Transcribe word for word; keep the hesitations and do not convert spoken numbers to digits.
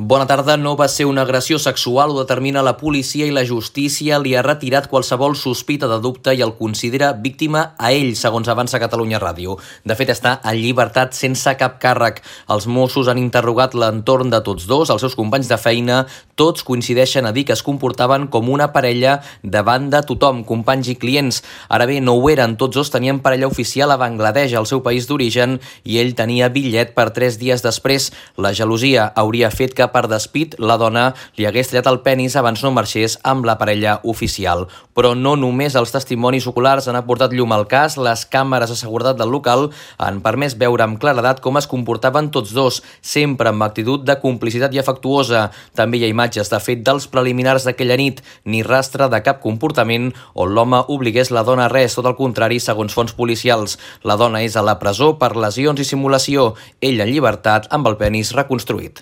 Bona tarda. No va ser una agressió sexual, ho determina la policia i la justícia li ha retirat qualsevol sospita de dubte i el considera víctima a ell, segons avança Catalunya Ràdio. De fet, està en llibertat sense cap càrrec. Els Mossos han interrogat l'entorn de tots dos, els seus companys de feina. Tots coincideixen a dir que es comportaven com una parella davant de tothom, companys i clients. Ara bé, no ho eren. Tots dos tenien parella oficial a Bangladesh, el seu país d'origen, i ell tenia bitllet per tres dies després. La gelosia hauria fet que per despit la dona li hagués tallat el penis abans no marxés amb la parella oficial. Però no només els testimonis oculars han aportat llum al cas, les càmeres de seguretat del local han permès veure amb claredat com es comportaven tots dos, sempre amb actitud de complicitat i afectuosa. També hi ha imatges de fet dels preliminars d'aquella nit, ni rastre de cap comportament on l'home obligués la dona a res, tot el contrari, segons fonts policials. La dona és a la presó per lesions i simulació, ell en llibertat amb el penis reconstruït.